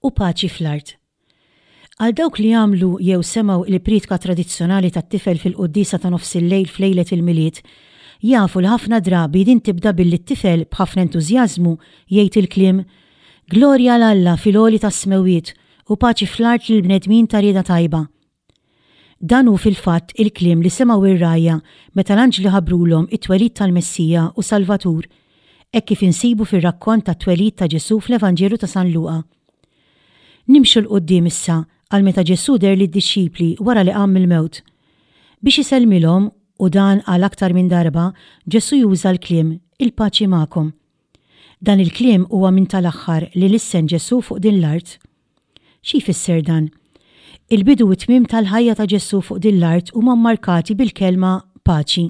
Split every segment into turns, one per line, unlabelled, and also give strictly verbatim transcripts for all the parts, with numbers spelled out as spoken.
U paċi fl-art. Għal dawk li għamlu jew semgħu il-priedka tradizzjonali tat-tifel fil-quddiesa ta' nofs il-lejl f'lejlet il-Milied, jafu li ħafna drabi din tibda billi t-tifel b'ħafna entużjażmu jgħid il-kliem "Glorja 'l Alla fil-għoli tas-smewwiet u paċi fl-art lill-bnedmin ta' rieda tajba." Dan hu fil-fatt il-kliem li semgħu ir-rgħajja meta l-anġli ħabbrulhom it-twelid tal-Messija u Salvatur, hekk kif insibu fir-rakkont tat-twelid ta' Ġesù fl-Evanġelju ta' San Luqa. Nimxu 'l quddiem issa għal meta Ġesù deher lid-dixxipli wara li qam mill-mewt. Biex isellmilhom, u dan għal aktar minn darba, Ġesù juża l-kliem "Il-paċi magħkom." Dan il-kliem huwa minn tal-aħħar li lissen Ġesù fuq din l-art. Xi jfisser dan? Il-bidu u t-tmiem tal-ħajja ta' Ġesù fuq din l-art huma mmarkati bil-kelma paċi.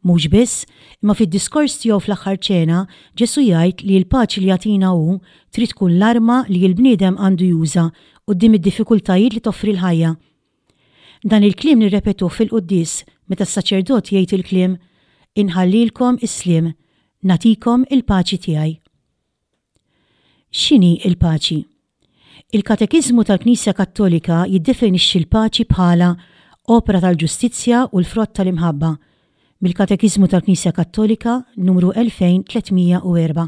Mhux biss, imma fid-diskors tiegħu fl-aħħar ċena, Ġesù jgħid li l-paċi li jagħtina hu trid tkun l-arma li l-bniedem għandu juża quddiem id-diffikultajiet li toffri l-ħajja. Dan il-kliem nirrepetuh fil-quddies meta s-saċerdot jgħid il-kliem "Inħallilkom is-sliem, nagħtikom il-paċi tiegħi." X'inhi l-paċi? Il-Katekiżmu tal-Knisja Kattolika jiddefinixxi l-paċi bħala opra tal-ġustizzja u l-frott tal-imħabba. Mill-Katekiżmu tal-Knisja Kattolika numru elfejn tliet mija u erbgħa.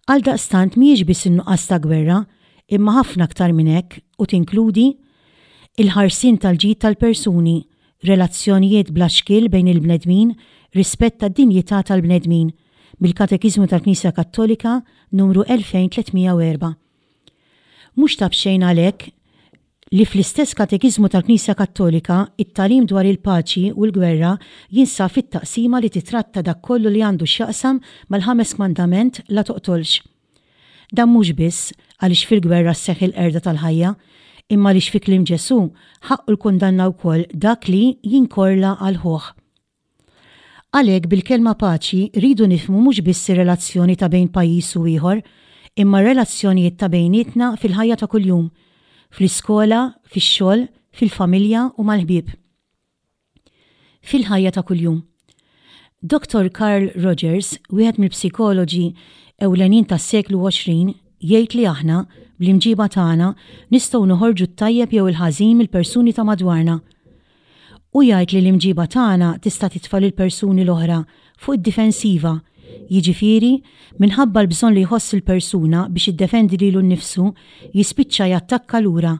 Għaldaqstant mhijiex biss in-nuqqas ta' gwerra, imma ħafna aktar minn hekk u tinkludi il-ħarsien tal-ġid tal-persuni, relazzjonijiet bla xkiel bejn il-bnedmin, rispett tad-dinjità tal-bnedmin. Mill-Katekiżmu tal-Knisja Kattolika numru elfejn tliet mija u erbgħa. Mhux ta' b'xejn għalhekk li fl-istess Katekiżmu tal-Knisja Kattolika it-tagħlim dwar il-paċi u l-gwerra jinsab fit-taqsima li titratta dak kollu li għandu x'jaqsam mal-ħames kmandament "La toqtolx." Dan mhux biss għaliex fil-gwerra sseħħ il-qerda tal-ħajja, imma għaliex fi kliem Ġesù ħaqqu l-kundanna wkoll dak li jinkorla għal ħuh. Għalhekk bil-kelma paċi rridu nifhmu mhux biss ir-relazzjoni ta' bejn pajjiż u ieħor, imma relazzjonijiet ta' bejnietna fil-ħajja ta' kuljum, fl-iskola, fix-xogħol, fil-familja u mal-ħbieb. Fil-ħajja ta' kuljum. Doktor Carl Rogers, wieħed mill-psikoloġi ewlenin tas-seklu għoxrin, jgħid li aħna, bl-imġiba tagħna, nistgħu noħorġu t-tajjeb jew il-ħażin mill-persuni ta' madwarna. U jgħid li l-imġiba tagħna tista' titfa' lill-persuni l-oħra fuq id-difensiva, jiġifieri minħabba l-bżonn li jħoss il-persuna biex jiddefendi lilu nnifsu jispiċċa jattakka lura,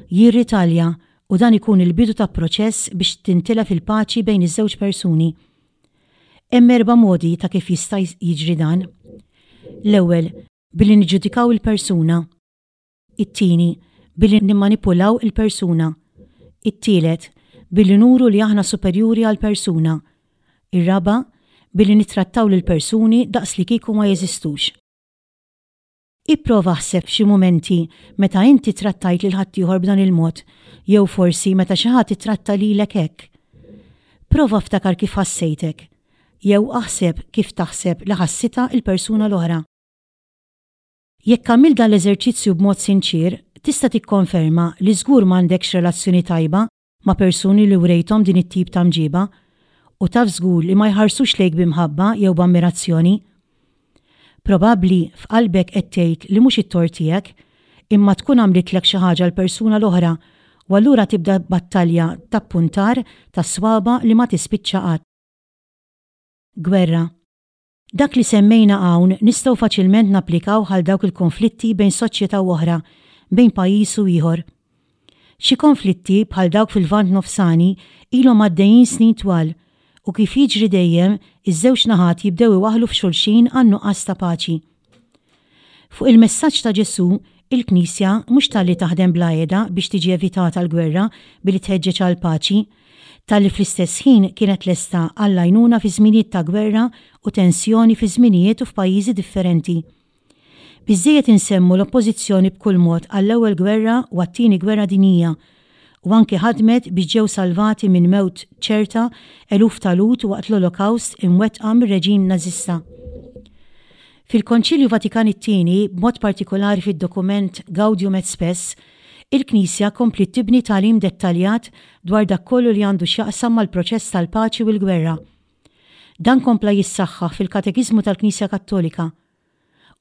jirritalja, u dan ikun il-bidu ta' proċess biex tintilef il-paċi bejn iż-żewġ persuni. Hemm erba' modi ta' kif jista' jiġri dan. L-ewwel, billi niġġudikaw il-persuna. It-tieni, billi nimmanipulaw il-persuna. It-tielet, billi nuru li aħna superjuri għall-persuna. Ir-raba', billi nittrattaw lill-persuni daqs li kieku ma jeżistux. Ipprova ħseb f'xi mumenti meta inti trattajt lil ħaddieħor b'dan il-mod, jew forsi meta xi ħadd ittratta lilek hekk. Prova ftakar kif ħassejtek, jew aħseb kif taħseb li ħassitha il-persuna l-oħra. Jekk għamilt dan l-eżerċizzju b'mod sinċir, tista' tikkonferma li żgur m'għandekx relazzjoni tajba ma' persuni li wrejthom din it-tip ta' mġiba, u taf żgur li ma jħarsux lejk b'imħabba jew b'ammirazzjoni. Probabbli f'qalbek qed tgħid li mhux it-tort tiegħek, imma tkun għamlitlek xi ħaġa l-persuna l-oħra, u allura tibda battalja ta' puntar ta' swaba li ma tispiċċa qatt. Gwerra. Dak li semmejna hawn nistgħu faċilment napplikaw għal dawk il-konflitti bejn soċjetà u oħra, bejn pajjiż u ieħor. Xi konflitti bħal dawk fil-Lvant Nofsani ilhom għaddejjin snin twal, u kif jiġri dejjem, iż-żewġ naħat jibdew iwaħħlu f'xulxin għan nuqqas ta' paċi. Fuq il-messaġġ ta' Ġesù, il-Knisja mhux talli taħdem bla heda biex tiġi evitata l-gwerra billi tħeġġeġ għal paċi, talli fl-istess ħin kienet lesta għall-għajnuna fi żminijiet ta' gwerra u tensjoni fi żminijiet u f'pajjiżi differenti. Biżżejjed insemmu l-oppożizzjoni b'kull mod għall-ewwel gwerra u għat-tieni gwerra dinjija, u anki ħadmet biex ġew salvati minn mewt ċerta eluf ta' Lhud waqt l-Olokawst imwettqa mir-reġim Nażista. Fil-Konċilju Vatikan it-tieni, b'mod partikolari fid-dokument Gaudium et Spes, il-Knisja kompliet tibni tagħlim dettaljat dwar dak kollu li għandu x'jaqsam mal-proċess tal-paċi u l-gwerra. Dan kompla jissaħħaħ fil-Katekiżmu tal-Knisja Kattolika.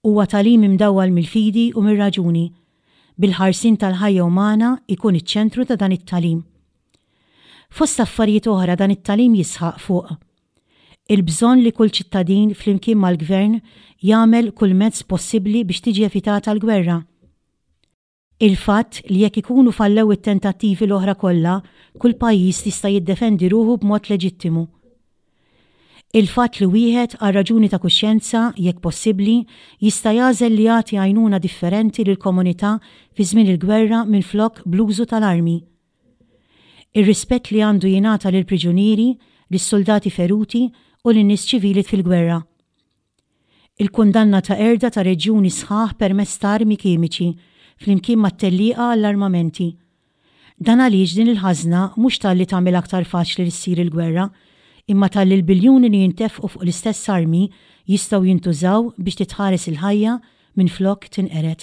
Huwa tagħlim imdawwal mill-fidi u mir-raġuni. bil-ħarsien tal-ħajja umana jkun iċ-ċentru ta' dan it-tagħlim. Fost affarijiet oħra dan it-tagħlim jisħaq fuq il-bżonn li kull ċittadin flimkien mal-gvern jagħmel kull mezz possibbli biex tiġi evitata l-gwerra. Il-fatt li jekk ikunu fallew it-tentattivi l-oħra kollha, kull pajjiż jista' jiddefendi ruħu b'mod leġittimu. Il-fatt li wieħed għal raġuni ta' kuxjenza, jekk possibbli, jista' jagħżel li jagħti għajnuna differenti lill-komunità fi żmien il-gwerra minflok bl-użu tal-armi. Ir-rispett li għandu jingħata lill-priġunieri, lis-suldati feruti u lin-nies ċivili fil-gwerra. Il-kundanna ta' qerda ta' reġjuni sħaħ permezz ta' armi kimiċi flimkien mat-tellieqa għall-armamenti. Dan għaliex din il-ħażna mhux talli tagħmel aktar faċli li ssir il-gwerra, imma talli l-biljuni li jintefqu fuq l-istess armi jistgħu jintużaw biex titħares il-ħajja minflok tinqered.